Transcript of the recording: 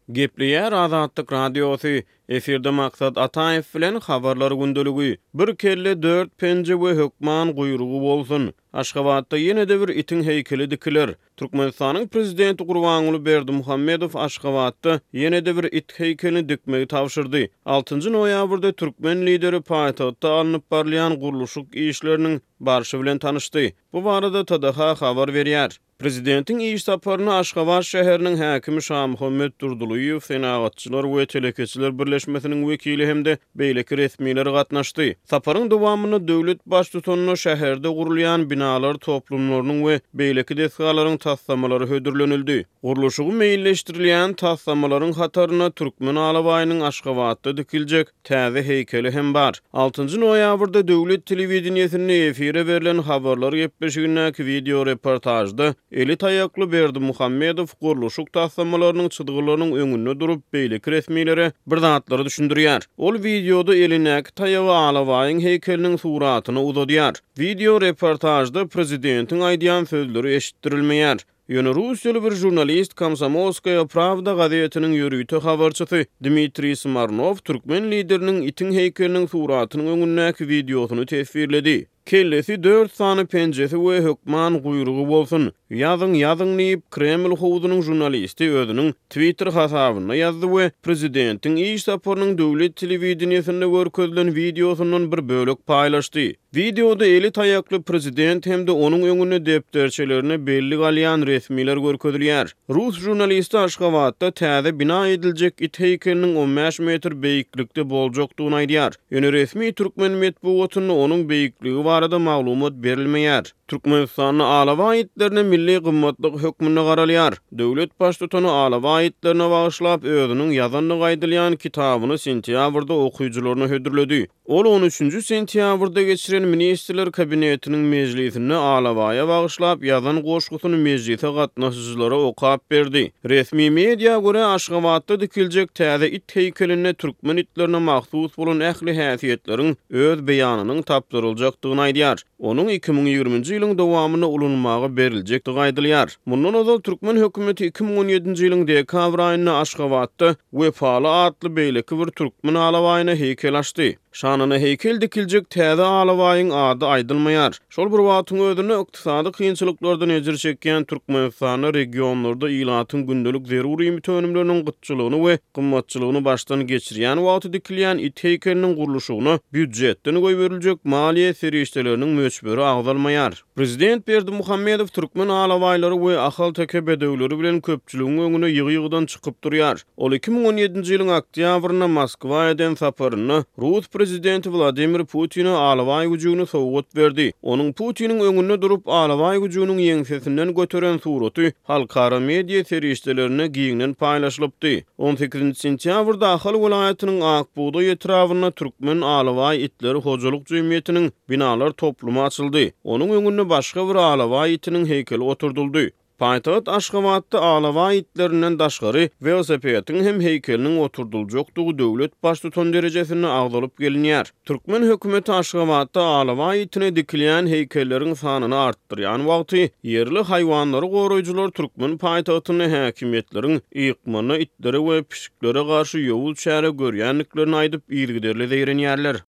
Gepleýär Azatlyk Radiosy, Efirde Maksat Ataýew bilen Habarlar gündeligi. Bir kelle, dört penje we hökman guýrugy bolsun! Aşgabatda ýene-de bir itiň heýkeli dikiler. Türkmenistanyň Prezidenti Gurbanguly Berdimuhamedow Aşgabatda ýene-de bir it heýkelini dikmegi tabşyrdy. Altynjy noýabrda türkmen Lideri paýtagtda alnyp barylýan gurluşyk işleriniň barşy bilen tanyşdy. Bu barada TDH habar berýär. Prezidentiň iş saparyna Aşgabat şäheriniň häkimi Şamuhammet Durdylyýew, Senagatçylar we telekeçiler birleşmesiniň wekili hem-de beýleki resmiler gatnaşdy. Saparyň dowamynda döwlet Baştutanyna şäherde gurulýan binalar toplumlarynyň we beýleki desgalaryň taslamalary hödürlenildi. Gurluşygy meýilleşdirilýän taslamalaryň hatarynda türkmen alabaýynyň Aşgabatda dikiljek täze heýkeli hem bar. Altynjy noýabrda döwlet telewideniýesinde efire berlen habarlar gepleşigindäki wideoreportažda eli taýakly Berdimuhamedow gurluşyk taslamalarynyň çyzgylarynyň öňünde durup, beýleki resmilere bir zatlary düşündirýär. Ol wideoda elindäki taýagy alabaýyň heýkeliniň suratyna uzadýar. Wideoreportažda prezidentiň aýdýan sözleri eşitdirilmeýär. Ýöne russiýaly bir žurnalist, Komsomolskaýa prawda gazetiniň ýörite habarçysy Dmitriý Smarnow türkmen lideriniň itiň heýkeliniň suratynyň öňündäki wideosyny teswirledi. Kellesi, dört sany penjesi we hökman guýrugy bolsun. Ýazyň, ýazyň diýip, Kreml howzunyň žurnalisti özüniň Twitter hasabynda ýazdy we prezidentiň iş saparynyň döwlet telewideniýesinde görkezilen wideosyndan bir bölek paýlaşdy. Wideoda eli taýakly prezident hem-de onuň öňünde depderçelerine bellik alýan resmiler görkezilýär. Rus žurnalisti Aşgabatda täze bina ediljek it heýkeliniň 15 metr beýiklikde boljakdygyny aýdýar. Ýöne resmi türkmen metbugatynda onuň beýikligi barada maglumat berilmeýär. Türkmenistanda alabaý itlerine milli gymmatlyk hökmünde garalýar. Döwlet Baştutany alabaý itlerine bagyşlap özüniň ýazandygy aýdylýan kitabyny sentýabrda okyjylaryna hödürledi. Ol on üçünji sentýabrda geçiren Ministrler Kabinetiniň mejlisinde alabaýa bagyşlap ýazan goşgusyny mejlise gatnaşyjylara okap berdi. Resmi media görä, Aşgabatda dikiljek täze it heýkelinde türkmen itlerine mahsus bolan ähli häsiýetleriň öz beýanynyň tapdyryljakdygyny aýdýar. Onuň 2020-nji ýylyň dowamynda ulanylmaga beriljekdigi aýdylýar. Mundan ozal türkmen hökümeti 2017-nji ýylyň dekabr aýynda Aşgabatda Wepaly atly beýleki bir türkmen alabaýyna heýkel açdy. Şanyna heýkel dikiljek täze alabaýyň ady aýdylmaýar. Şol bir wagtyň özünde, ykdysady kynçylyklardan ejir çekýän Türkmenistanda regionlarda ilatyň gündelik zerur iýmit önümleriniň gytçylygyny we gymmatçylygyny başdan geçirýän wagty dikilýän it heýkeliniň gurluşygyna býujetden goýberiljek maliýe serişdeleriniň möçberi agzalmaýar. Prezident Berdimuhamedow türkmen alabaýlary we ahalteke bedewleri bilen köpçüligiň öňüne ýygy-ýygydan çykyp durýar. Ol 2017-nji ýylyň oktýabrynda Moskwa eden saparynda rus prezidenti Wladimir Putine alabaý güjügini sowgat berdi. Onuň Putiniň öňünde durup, alabaý güjüginiň ýeňsesinden göteren suraty halkara media serişdelerinde giňden paýlaşylypdy. On sekizinji sentýabrda Ahal welaýatynyň Ak bugdaý etrabynda Türkmen alabaý itleri hojalyk jemgyýetiniň binalar toplumy açyldy. Onuň öňünde başga bir alabaý itiniň heýkeli oturdyldy. Paýtagt Aşgabatda alabaý itlerinden daşgary welosipediň hem heýkeliniň oturdyljakdygy döwlet Baştutany derejesinde agzalyp gelinýär. Türkmen hökümeti Aşgabatda alabaý itine dikilýän heýkelleriň sanyny artdyrýan wagty, ýerli haýwanlary goraýjylar türkmen paýtagtynda häkimiýetleriň ykmanda itlere we pişiklere garşy ýowuz çäre görýändiklerini aýdyp, yzygiderli zeýrenýärler.